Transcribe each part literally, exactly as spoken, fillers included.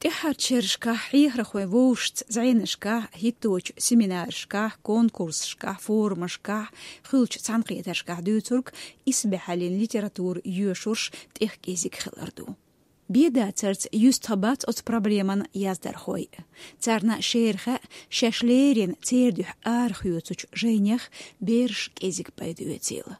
ТӀаьххьарчу шерашкахь хьехархой вовшашца зӀенашкахь, хӀитточу семинарашкахь, конкурсашкахь, форумашкахь, хуьлучу цхьаьнакхетаршкахь дуьйцург исбаьхьаллин литература йоьшурш тӀех кӀезиг хилар ду. Бен дацарца юьстах бац оцу проблеман яздархой. Царна шера хаьа, шаьш леррина церан дуьхьа арахоьцучу жайнех бераш кӀезиг пайда оьцийла.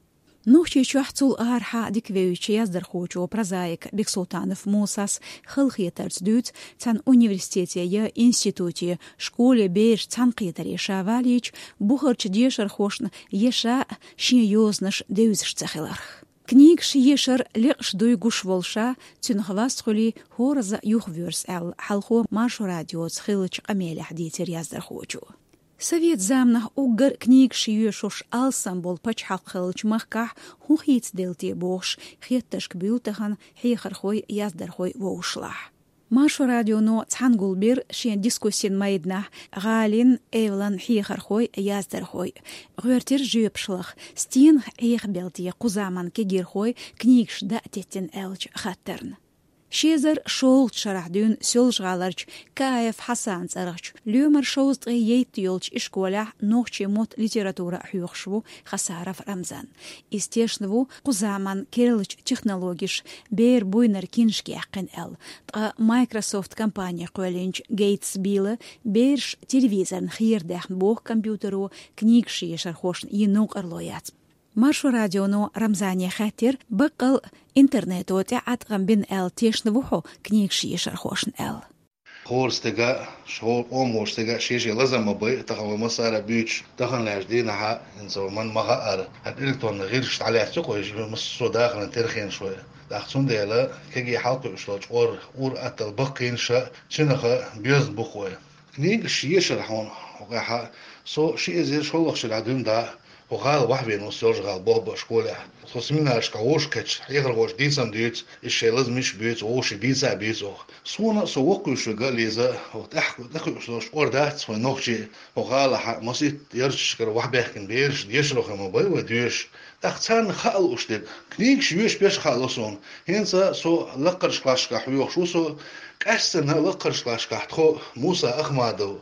Нохчийчохь, цул арахьа дика вевзачу яздархочо, прозаико Бексултанов Мусас халахетарца дуьйцу цхьана университете я институте, школе бераш цхьаьнакхетаре ша валийча, бухарчу дешархошна я ша шен йозанаш девзаш ца хиларх. Книгаш ешар лекъаш дуй гуш волу ша, цуьнах васт хуьлий, хӀоразза юхавоьрзу аьлла, хьалхо Маршо радиоца хиллачу къамелехь дийцира яздархочо. Совет заманахь уггар книгаш йоьшуш алсам болу пачхьалкх хиллачу махкахь хӀун хийцаделла те бохуш, хеттаршка буьйлу тахана хьехархой, яздархой вовшашлахь. Маршо радионо цхьаьна гулбира шен дискуссин майданахь гӀалин, эвлан хьехархой, яздархой. ГӀоьртира жоьпаш лаха, стенах Ӏехабелла те кху заманан кегирхой книгаш даа теттина аьллачу хаттарна. Ши эзар шолгӀачу шарахь дуьйна Соьлжа-ГӀаларчу Каев Хьасанан цӀарахчу лоьмар шовзткъе ейтта йолчу ишколехь нохчийн мотт, литература хьоьхуш ву Хасаров Рамзан. Иза тешна ву кху заманан керлачу технологеша беран буйнара киншка яьккхина аьлла, ткъа Microsoft компане кхоьллинчу Гейтс Билла бераш телевизорна херадаьхна боху компьютеро книгаш ешархошна йина новкъарло яц. Маршо радионо Рамзане хаьттира, баккъал интернето тӀе Ӏаткъам бина аьлла тешна ву хьо книгаш ешархошна аьлла. ХӀора стага, шо-, къоман волчу стага шен-шен лазам ма бай, тахана вай массара а буьйцуш, тахана лаьттачу дийнахь а, хӀинца вай ма хаьара, хӀара электронни гӀирсаш дӀалаьцна кхойша, массо а дахаран терхенаш вай. ТӀаккха цундела кегий хьалакхуьуш долчу чкъор ур-атталла баккхийнаш а, цуьнах а боьзна бу-кх вай. Книгаш ешар хьуна хӀокхуьнга, со ши эзар шолгӀачу шарахь дуьйна дӀа хӀокху гӀала вахьвина ву, Соьлжа-ГӀала болх беш школехь. Со семинарашкахь вовшахкхетча, хьехархоша дийцам дуьйцу, иза шайн лазамаш а буьйцу, вовшийн дийца а буьйцу оха. Суна со воккхавуьйш верг а, Лиза, хӀокху тӀаьхьа, тӀекхуьуш долчу чкъор дац вайн нохчийн хӀокху гӀалахь а, масийтта ярташкара вахьбаьхкина бераш, дешархой ма бай вай доьшуш. ТӀаккха царна хаа лууш дерг, книгаш йоьшуш берш хаа ло суна. ХӀинца со лакхарчу классашкахь хьоьхуш ву со, къаьсттина лакхарчу классашкахь тхо Муса Ахмадов,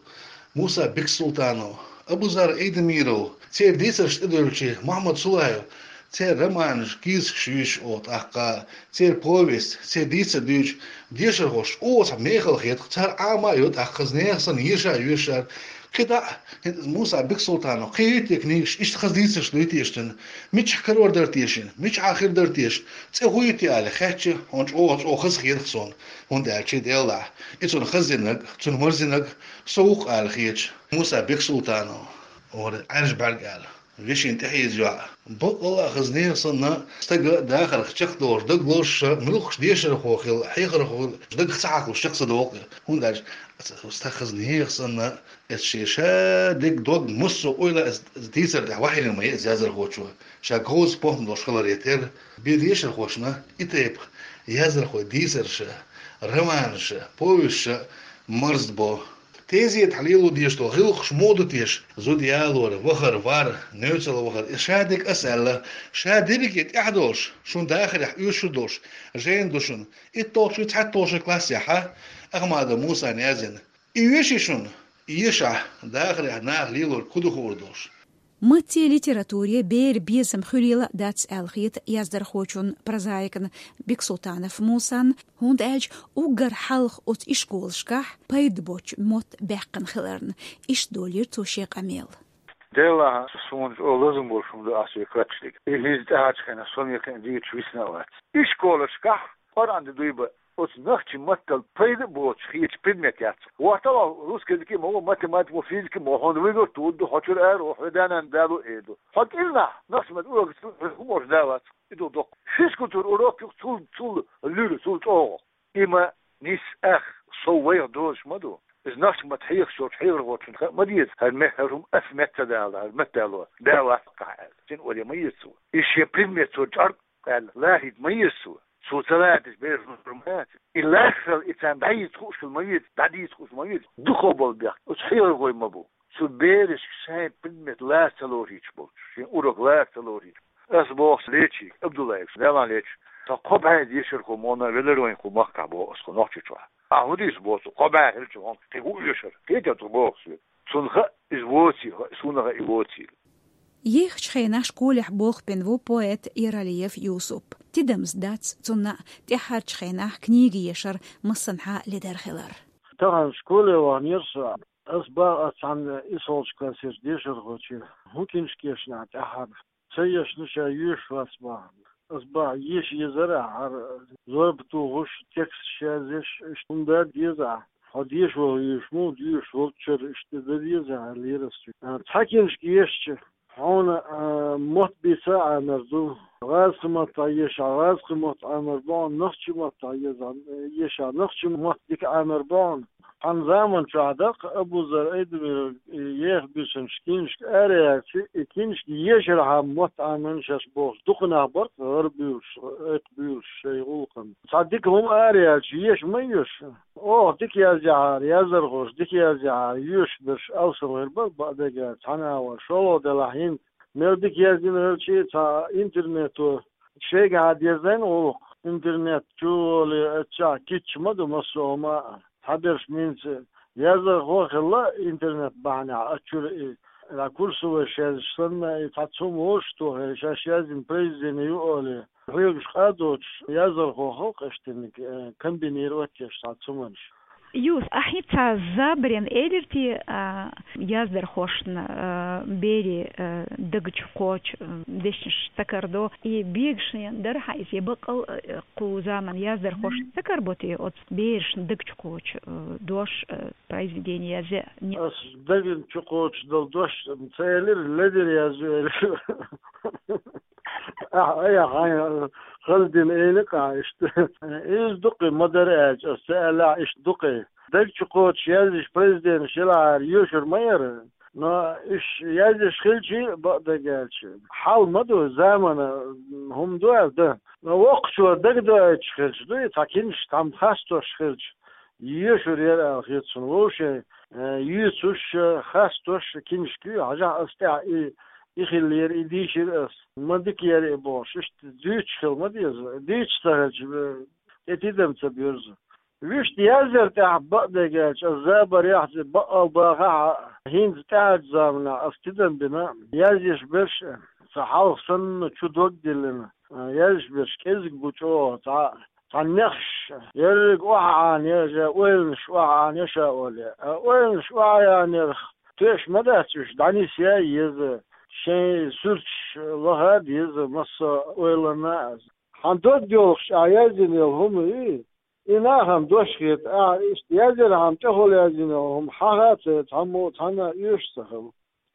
Муса Бексултанов, Абузар Айдамиров, церан дийцаршна тӀедоьллича Мухьаммад Сулаев, церан романаш, кийсакаш юьйцуш оха тӀаккха, церан повесть, церан дийцар дуьйцуш, дешархошна оха цхьа мехала хета-кх, цара Ӏама а йо тӀаккха, хаза нехан санна еша а йоьшу цара. КхидӀа а, хӀинца Муса Бексултанов кхин юй те книгаш, иштта хаза дийцарш дуй теша цуьнан, мичахь карор дара теша, мичахь хир дара теша, цӀе хӀун ю те аьлла хаьттича, хьуна чӀогӀа, чӀогӀа хаза хета-кх суна, хӀунда аьлча делахь, и цунна хаза динарг, цунна марзинарг со ву-кх аьлла хеташ. Муса Бексултанов, вара Ӏаьржа бӀаьрг аьлла, вешин тӀехьийза йоӀ. Баккъалла а хаза нехан санна, стага дахарх чекхдолуш, дагалозуш, муьлххачу дешархо хила, хьехархо хила, дагах ца хьахалуш чекх ца догӀу-кх. ХӀунда аьлча стаг хаза нехан санна, эцу шен ша дерг, дог, массо а ойла а иза дийцар тӀехь вахьийна ма ю иза яздархочо, ша говза похӀма долуш хиларе терра. Бен дешархошна и тайпа яздархойн дийцарш а, романаш а, повесташ а марзбо. Тезетахь лело дезаш долу гӀиллакхаш муха ду теша? Зуда ялор, вахар, вар, нуьцкъала вахар, и ша дерг ас аьлла, ша дерриге тӀехь долуш, шун дахарехь оьшуш долуш жайна ду шуна. ИтталгӀачу, цхьайтталгӀачу классехь а Ахмадов Мусана яздина. И йоьший шуна? Ешахь, дахарехь наха лелорг хӀун ду хуур долуш. Матте, литературе беран безам хуьлийла дац аьлла хета яздархочун, прозаикан Бексултанов Мусан, хӀунда аьлча уггар хьалха оцу ишколашкахь пайда боцчу мотт баьккхина хиларна. Иштта долийра цо шен къамел. Делахь, суна чӀогӀа лазам болуш хӀума ду ахь соьга хатташ дерг. И хӀинца тӀаьхьарчу хенахь со мел кхин а дийцаш висна а вац. Ишколашкахь Къуръан де дуй бан, оцу нохчийн маттал пайда а боцуш хеташ предмет яц. Вахтала русский языке ма ву, математика ма ву, физика ма ву, хьуна вуьгур а тудду, хьо чуьра ара ву, хьо да-нана дало а эр ду. Хьо кӀирнахь нохчийн маттан урок ца луш, хӀун бохуш да вац, и ду доккха. Физкультура урок юха цул, цул луьра, цул чӀогӀа. И ма нис ах, сов вайх дозуш ма ду. Иза нохчийн маттахь хьехаш йолчу хьехархочунна хаа ма деза, хӀара ме-, хӀара хӀума ас метта дала, хӀара метта дало, да вац-кх ахь аьлла. Цуьнан ойла ма еза цо. И шен предмет цо чӀор аьлла, лахийта ма еза цо. Цо ца лаьтташ бераш лур ма яц. И лаьцна хила, и царна дӀадийца хууш хила ма веза, дӀадийца хууш ма веза. Дукхах болу бехк оцу хьехархойн ма бу. Цу берашка шайн предмет лаца ца лорийча болчу, шен урок лаца ца лорийча. Ас боху Лечига Абдуллайга, Далла лечу, со кхо бӀе дешархо ма вина велира вайн кху махкахь, боху ас, кху Нохчийчохь. Ахьа хӀун дийца боху цо? Кхо бӀаь хилча хьуна, кхин хӀун оьшура? Кхетий цо боху соьга? Цунна хаьа иза воцийла, хаьа, суна хаьа и воцийла. Ехачу хенахь школехь болх бина ву поэт Яралиев Юсуп. Тидамза дац цунна тӀаьххьарчу хенахь книга ешар массанхьа ледара хилар. Тахана школе ваханера со. Ас боху, ас цхьана исолчу классерчу дешархочуьнга: «ХӀун киншка ешна ахь тӀаьххьара? Ца ешна, ша йоьшуш вац», — боху. Ас боху: «Еша езара ахь, хӀара зорба тухуш, тексташ язъеш, иштта хӀума дан деза ахь. Хьо дешар йоьшуш ма ву, йоьшуш волччара иштта дан деза ахь», — аьллера ас цуьнга. А, цхьа киншка ешча, хьуна, а, мотт бийца а Ӏамар ду, гӀазкхи маттахь ешахь, гӀазкхи мотт Ӏамар бу хьуна, нохчи маттахь езахь, ешахь, нохчи мотт дика Ӏамар бу хьуна. Хьан заман чохь даккха Абузар Айдамиров еха буьйсанаш киншка араяьлча, и киншка ешархьама мотт Ӏамийна шаьш бохуш, дукха нах бара-кх гӀара буьйлуш, айкх буьйлуш шайн гӀуллакхна. Цхьа дика хӀума араяьлча, еша ма йоьшу. Оха дика язъяхьара, яздархоша дика язъяхьара, йоьшуш берш алсам хир бара, бакъдерг аьлча, цхьана агӀор, шолгӀа делахь хӀинца. Мел дика яздина хилча, цхьа интернето шайгахьа дезийна гӀуллакх, интернет чу а волий, оццахь кийча ма ду массо а хӀума а. Цхьаберш меца яздархо а хилла интернет бахьанехь, оцу чуьра и, курсовой язъеш санна, и цхьацца хӀума вовшахтохий, шаьш яздина произведение ю олий, хьоьгуш къа а доцуш, яздархо хилла-кх иштаниг, э, комбинировать еш цхьацца хӀуманаш. Юсуп, ахь хӀинца забарна элира те, а, яздархошна, а, берийн, а, дагчу кхочу, а, дешнаш ца карадо, и бегашна дара хьан иза, я баккъал, а, кху заманан яздархошна ца карабо те оцу берашна дагчу кхочу, а, дош, а, произведение язъян? Ас дагчу кхочу долу дош ца элира, ледара язъян элира. Ахьа, айхьа, хьайн хаза дина элира-кх ахьа иштта. Иза ду-кх и, ма-дарра аьлча, ас ца аьллехь, иштта ду-кх и. Дагчу кхочуш язъеш произведенеш елахьара йоьшур ма яра. Но уьш язъеш хилча, бакъдерг аьлча, хьал ма ду, заманан хӀума ду аьлла дан. Но воккхачо дагадоуьйтуш хилча, ду и цхьа киншка, цхьамма хастош хилча, йоьшур яра аьлла хета суна. Вовшийн, э, юьйцуш, э, хастош киншка ю, хьажахь, ас тӀехь и, и хиллера, и дийшира ас. Ма дика яра и бохуш, иштта дуьйцуш хила ма деза. Дуьйцуш ца хилча, э, тӀе тидам ца боьрзу. Вуьшта язъяр тӀехь, бакъдерг аьлча, ас забарехь, баккъал бахахь а, хӀинца тӀаьхьарчу заманахь ас тидам бина, язъеш берш а, сан хьалха санна чу дог а диллина, а, язъеш берш кӀезиг бу чӀогӀа, цхьа, цхьа нехаш, ерриг охьа Ӏанаяь, я ойланаш охьа Ӏанаяь ша олий. А ойланаш охьа яьннарх тоьаш ма дац уьш, дӀанисъян а еза, шайн суьрташ лаха а деза массо а ойланна а. Хьан дог йолуш ахь язйина йолу хӀума ю и? И нахана дош хета, ахьа иштта язъярхьама тӀехула язйина йолу хӀума хьан хаа ца, цхьаммо а цхьанна а оьшуш ца хилла.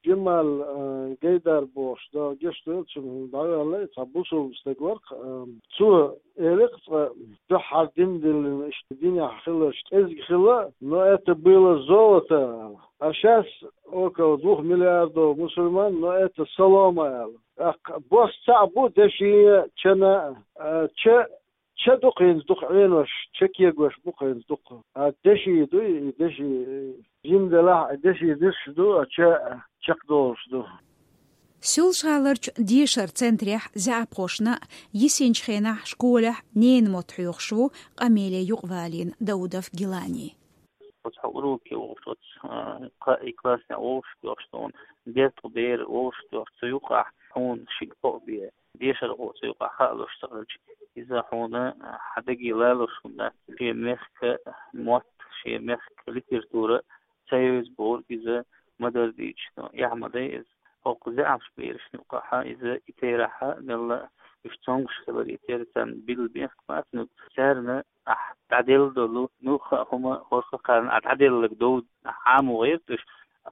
Джамал, а, Гайдар бохуш, Дала гечдойла цунна, хӀинца дӀаваьлла и, цхьа бусулба стаг вара-кх, а, цо элира-кх цкъа, дуьххьара дин диллина, иштта динехь хиларш кӀезиг хилла, но это было золото, аьлла. А щас около двух миллиардов мусульман, но это солома, аьлла. ТӀаккха бос цхьаъ бу деши а, чана а, а, ча Ча ду-кх хӀинца дукха Ӏенош, ча кегош бу-кх хӀинца дукха. А деши ду, и деши, жима делахь а, деши дирш ду, а ча чекхдолуш ду. Соьлжа-ГӀаларчу дешаран центрехь заьӀапхошна йисинчу хенахь школехь ненан мотт хьоьхуш ву къамеле юкъавалийна Даудов Гилани. Оцу хьо уроке волуш, оцу, а, кхаа классехь волуш тоьхча, тхуна дезткъа бер волуш тоьхча, цу юкъахь хьуна шиъ-кхоъ бен дешархо цу юкъахь хаалуш ца хилча, иза хьуна, а, хьан даге лалуш хӀума дац, шен мехкан мотт, шен мехкан литература ца евза бохург иза ма-дарра дийцича, но эхь ма дай иза. ХӀокху заьӀапчу берашна юкъахь иза и терахь а мелла а уьш цомгуш хилар, и тера царна билла мехкан бацаниг, царна ахь дӀаделла долу, муьлхха а хӀума хӀорхкарна ахь дӀаделларг дов, ахь Ӏамо гӀерта уьш,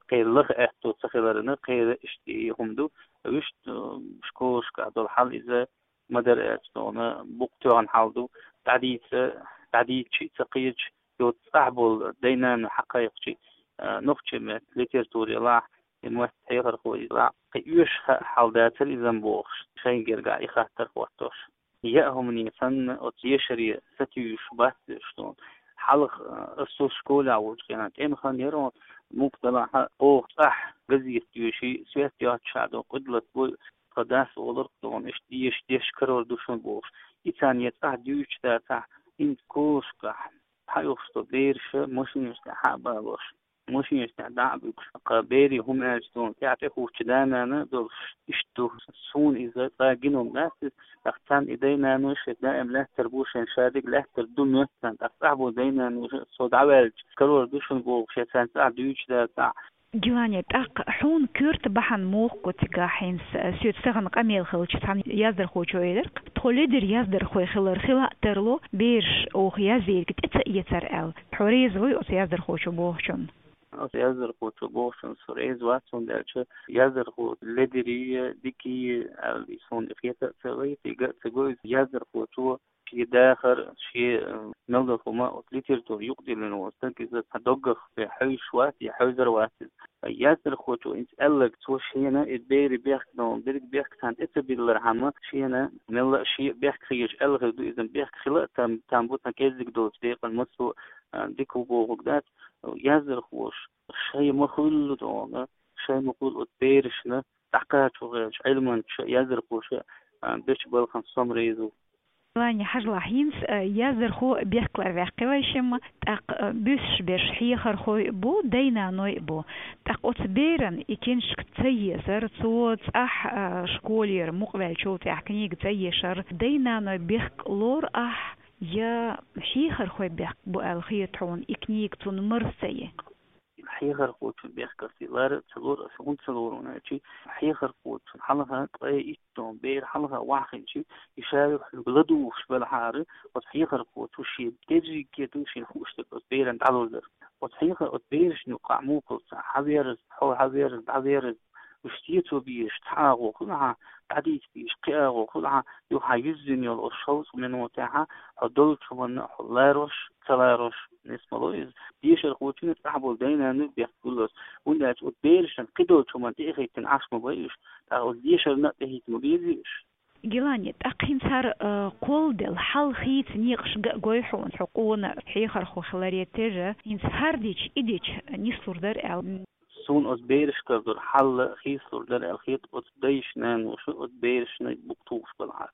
кхеран лаха аьтто ца хиларна, кхеран иштта и хӀума ду. Вуьшта, э, школашкахь долу хьал иза ма-дарра аьлча, тхуна букъ тоьхна хьал ду. ДӀадийца, дӀадийцича а ца кхеташ, йоцу цӀахь болу дай-нана хьакхайкхича, э, нохчийн меттан литература елахь, и меттан хьехархо елахь, кхин оьшуш хаа хьал дацара иза-м бохуш, шайн гергахь и хаттар хӀоттош. Яа хӀумане санна, оцу дешаре сатуьйсуш бац уьш тхуна. Хьалха, а, ас цу школехь волчу хенахь тӀеман хан яра, муха делахь а, оха цӀахь газета доьший, свет йоццушехь ду, къуьдлат бой, тхан дас олура-кх тхуна, иштта деша дешаш карор ду шуна бохуш. И царна я цӀахь дуьйцуш дацахь, хӀинца школашкахь Хьаюхаш тхо бераш машинаш тӀа хьа а балош, машинаш тӀа дӀа а буьгуш, кхы берий хӀума аьлча, цунна тӀехьа тӀехӀуттача да-нана долуш иштта ду. Суна иза цкъа гина хӀума дац иза, тӀаккха царна и дай-наной шайн даим лаьттар бу, шайн шадерг лаьттар ду моьтту царна, тӀаккха цӀахь болу дай-наной со дӀаваьлча, карор ду шуна бохуш, я царна цӀахь дуьйцуш дац цӀахь. Гилани, тӀаккха хьуна коьрта бахьана муха го цигахь хӀинца, соьца тахана къамел хилча цхьана яздархочо элира-кх: тхо ледара яздархой хилар хила а тарло, бераш оха язйийриг тӀе ца эцар аьлла. Хьо реза вуй оцу яздархочо бохучунна? Оцу яздархочо бохучунна со реза вац, хӀунда аьлча яздархо ледарий, дикий аьлла, и суна и хета а ца вайта, и го а ца го иза. Яздархочо шен дахар, шен, э, мел долу хӀума оцу литература юкъадиллина волу стаг, иза цхьа доггах бен хьевзаш вац, я хьевзар вац иза. Яздархочо хӀинца аьлларг, цо шена и берийн бехк долу дерриг бехк царна тӀе ца биллархьама, шена мелла а шен бехк хеташ аьлла хир ду иза, бехк хила а там, там бу цхьа кӀеззиг долчу декъана массо а, дика ву бохург дац. Яздархоша шайн ма хуьллу тхуна, шайн ма хуьллу оцу берашна дӀакхачо гӀерташ Ӏилманчаша, яздархоша, а, бечу балхана со-м реза ву. Гилани, хьажалахь, хӀинца, а, яздархо бехк ларваьккхи вай шимма, тӀаккха, а, буьсуш берш хьехархой а бу, дай-наной а бу. ТӀаккха оцу беран и книжка ца езар, цо цӀахь, а, школера мукъаваьллачул тӀаьхьа книга ца ешар, дай-наной бехк лору ахь, я хьехархой бехк бу аьлла хета хьуна и книга цунна марза ца е? Хьехархочун бехках и лара ца лору аса, хӀунда ца лору аьлча, хьехархочун хьалха ткъе итт тонна бер хьалха ваха хилча, и ша юха ладугӀуш белахьара, оцу хьехархочо шен дерриге ду шена хууш дерг оцу беран дӀалур дара. Оцу хьеха-, оцу берашна юкъахь муха хилла цхьа хьаверза, хьо хьаверза, дӀаверза, уьш цецо безаш цхьа агӀо хуьлу хьан, дӀадийца безаш кхин агӀо хуьлу хьан, юха хьан юьззина йолу оцу шовзткъа минотехь хьо долчу хӀуманна хьо ларош, ца ларош, нисмало иза. Дешархочунна цӀахь болу дай-наной бехк гуллалц, хӀунда аьлча оцу берашна кхидолчу хӀуманна тӀе а хӀиттина Ӏаш ма бай уьш, тӀаккха оцу дешарна а тӀе хӀитта ма безий уьш. Гилани, тӀаккха хӀинца хӀара, а, кхолладелла хьал хийца некъаш га а гой хьуна, хьо къона хьехархо хиларе терра, хӀинца хӀара дича, и дича нислур дара аьлла? Суна оцу берашкара долу хьал хийцалур дара аьлла хета, оцу дайша, наноша оцу берашна букъ тухуш белахьара.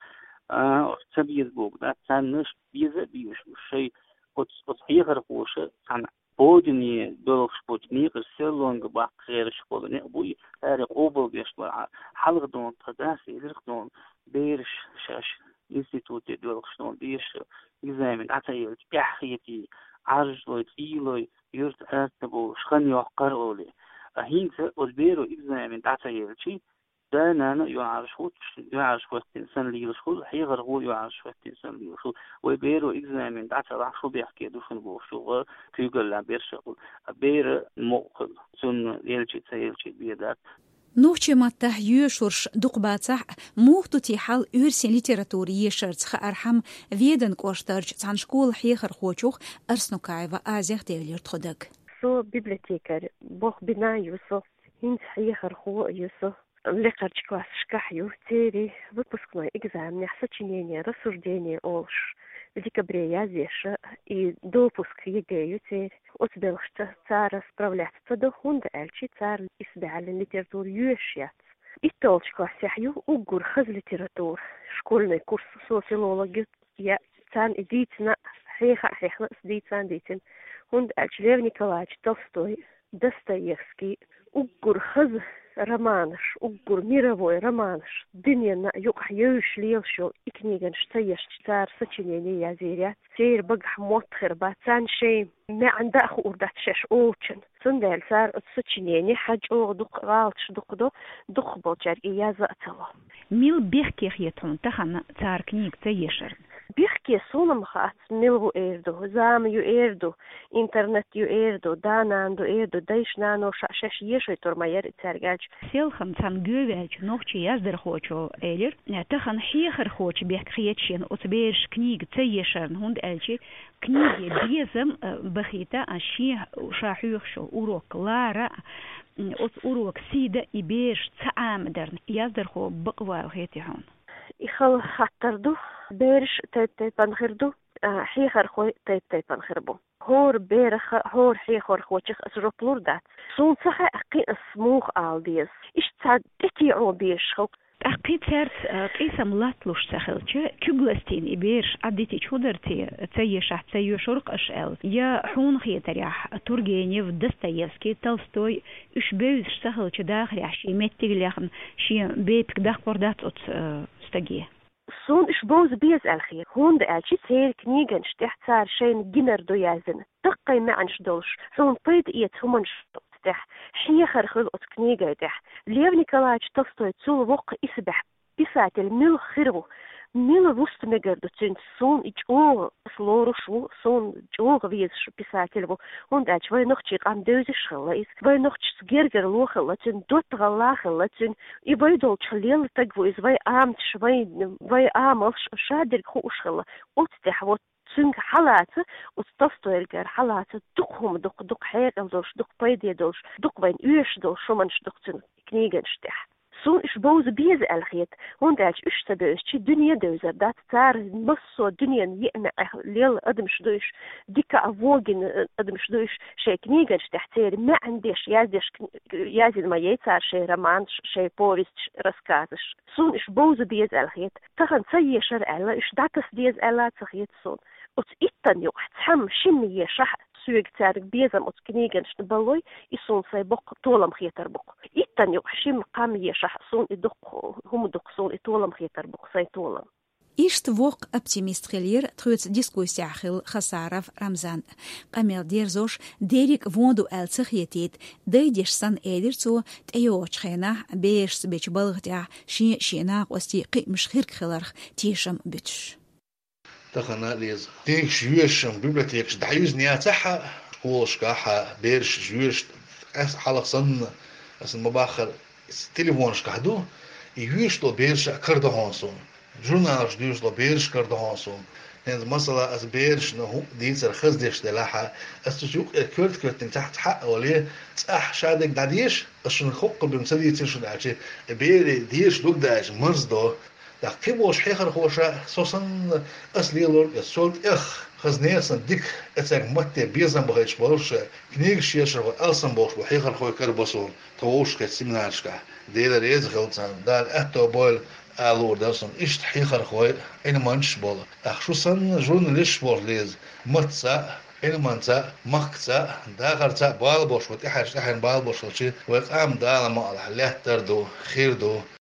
А, оцу ца беза бохург дац, царна беза а безаш, уьш шайн оцу, оцу хьехархоша цхьана бодане доьлхуш болчу некъаш серлонга баккха гӀерташ болу некъ буй, цара къобалбеш белахьара. Хьалха дуьйна тхан дас элира-кх дуьйна, бераш шаьш институте доьлхуш дуьйна, дешара экзамен дӀа ца елча, эхь хетий, Ӏаржлой, цӀийлой, юьрта аса ца бовлуш хан йоккхура олий. А хӀинца оцу беро экзамен дӀа ца елча, да-нана а юьхьӀаьржа хӀуттуш, юьхьӀаьржа хӀоьттина санна лелаш хуьлу, хьехархо а юьхьӀаьржа хӀоьттина санна лелаш хуьлу. Вай беро экзамен дӀа ца лахь, шу бехке ду шуна бохуш, юха куьйгаллехь берш а хуьлу. А бер мукъа хуьлу, цунна елчий, ца елчий бен дац. Нохчийн маттахь йоьшурш дукха бацахь а, муха ду те хьал оьрсийн литература ешарца хаархьама, Веданан кӀоштарчу цхьана школан хьехархочух Арснукаева Азех девлира тхо дага. Со библиотекарь болх бина ю со, хӀинца хьехархо а ю со. Лекхарчу классашкахь ю, церан выпускной экзаменехь сочинение, рассуждение олуш, в декабре язъеш, и допуск ЕГЭ ю церан. Оцу белхашца цара справляться ца до, хӀунда аьлча цара исбаьхьаллин литература йоьшуш яц. ИтталгӀачу классехь ю уггар хаза литература, школьный курс, со филолог ю, я царна и дийцина, хьеха а хьехна, ас дийца а дийцина. ХӀунда аьлча Лев Николаевич Толстой, Достоевский, уггар хаза романаш, уггар мировой романаш, дуьненна юкъахь евзаш лелаш йолу и книганаш ца ешча, цара сочинение язйийр яц, церан багахь мотт хир бац, царна шайн маьӀна дан а хуур дац шаьш олучун. Цундела цара оцу сочинение хьан чӀогӀа дукха гӀалаташ дукха до, дукхахболчаьрга и язъян а ца ло. Мила бехке хета хьуна тахана цара книга ца ешарна? Бехке суна-м хац, мила ву эр ду, зама ю эр ду, интернет ю эр ду, да-нана ду эр ду, дайша-наноша шаьш ешай тур ма яра и цаьрга аьлча. Селхана цхьана гӀовгӀаьллачу нохчийн яздархочо элира, тахана хьехархочун бехк хета шена оцу бераша книга ца ешарна, хӀунда аьлча книге безам, э, бахийта, а шен ша хьоьхуш йолу урок лара, м, оцу урока сий дан и бераш ца Ӏамадарна, яздархо бакъволу хетий хьуна? И хала хаттар ду, бераш тайп-тайпана хир ду, а, хьехархой тайп-тайпана хир бу. ХӀора берах а, хӀора хьехархочух а ас жоп лур дац. Суна ца хаьа кхин ас муха ала деза. Иштта цхьа тӀетеӀо безаш хӀокху ТӀаккха кхин цаьрца, а, къийсам латталуш ца хилча, куьг ластийна и бераш Ӏадитича хӀун дара те, ца ешахь, ца йоьшур-кх аша аьлла? Я хьуна хетарехь, Тургенев, Достоевский, Толстой, уьш бевзаш ца хилча дахарехь, шен меттиг а лехна, шен бепиг даккхар дац оцу, а, стаге? Суна уьш бовза беза аьлла хета, хӀунда аьлча церан книганаш тӀехь цара шайна гинар ду яздина, даккхий маьӀнаш долуш, хьуна пайда эца хӀуманаш оцу тӀехь, хьехар хуьлу оцу книгай тӀехь. Лев Николаевич Толстой цул воккха исбаьхьа писатель мила хир ву, мила вуста мегар ду цуьнца, суна и чӀогӀа ас лоруш ву, суна чӀогӀа везаш писатель ву, хӀунда аьлча вай нохчийн къам девзаш хилла иза, вай нохчашца гергарло хилла цуьнан, доттагӀалла хилла цуьнан, и вай долчух лелла стаг ву иза, вай аматаш, вай, вай амалш шадерг хууш хилла. Оцу тӀехь вот цуьнга хьалаца, оцу Толстойгара хьалаца дукха хӀума ду-кх, дукха хьекъал долуш, дукха пайде долуш, дукха вайна оьшуш долуш хӀуманаш ду-кх цуьнан книганаш тӀехь. Суна уьш бовза беза аьлла хета, хӀунда аьлча уьш ца бевзача дуьне девзар дац, цара массо а дуьненан йиъ маьӀӀехь лелла адамаш ду уьш, дика а вогина адамаш ду уьш, шайн книганаш тӀехь церан маьӀна деш, яздеш, кни-, язйина ма яй цара шайн романаш, шайн повесташ, рассказаш. Суна уьш бовза беза аьлла хета, тахана ца ешара аьлла, уьш дӀатаса деза аьлла а ца хета суна. Оцу иттанна юкъахь цхьамма шимма ешахь, соьга цаьрга безам оцу книганашна баллой, и суна сайн боккха толам хетар бу-кх. Иттанна юкъахь шимма-кхамма ешахь, суна и дуккха хӀума ду-кх, суна и толам хетар бу-кх, сайн толам. Иштта воккха оптимист хиллера тхоьца дискуссехь хилла Хасаров Рамзан. Къамел дерзош, дерриг а вон ду аьлла ца хетийта, дайдеш санна, элира цо, тӀейогӀучу хенахь берашца бечу балха тӀехь шен а, шен накъостийн кхиамаш хирг хиларх тешам буьтуш. Тахана, Лиза, книгаш йоьшуш-м библиотекаш дӀаюьзна яцахь а, школашкахь а бераш йоьшуш, къаьстта хьалха санна, аса ма-баххара, телефонашкахь ду, и йоьшуш долу бераш а карадо хьуна суна. Журналаш дуьйцуш долу бераш карадо хьуна суна. ХӀинца, масала, аса берашна хӀуъа дийцар хаза деш делахь а, аса цу юкъера коьрта-коьртаниг цхьаъ-цхьаъ а вале, цӀахь шадерг дӀадеша, аса шуна хӀокху бен ца дийцира шуна аьлча, и берийн дешар лург даьлча марздо. ТӀаккха кхин болчу хьехархоша, со санна, ас лелорг а, сол тӀех хаза нехан санна дика, эцаьрга матте безам бахийтуш болуш, книгаш ешархой алсам болуш болу хьехархой карабо суна тхан вовшахкхетта семинарашкахь. Дела реза хуьлда царна, Дала аьтто бойла, ала луур дара суна. Иштта хьехархой, Ӏилманчаш болу. ТӀаккха шу санна журналисташ болуш, Лиза, маттаца а, Ӏилманца а, махкаца а, дахарца а бала болуш, вай тӀаьхьарчу тӀаьхьенна бала болуш хилча, вай къам, Дала мукъалахь, лаьттар а ду, хир а ду.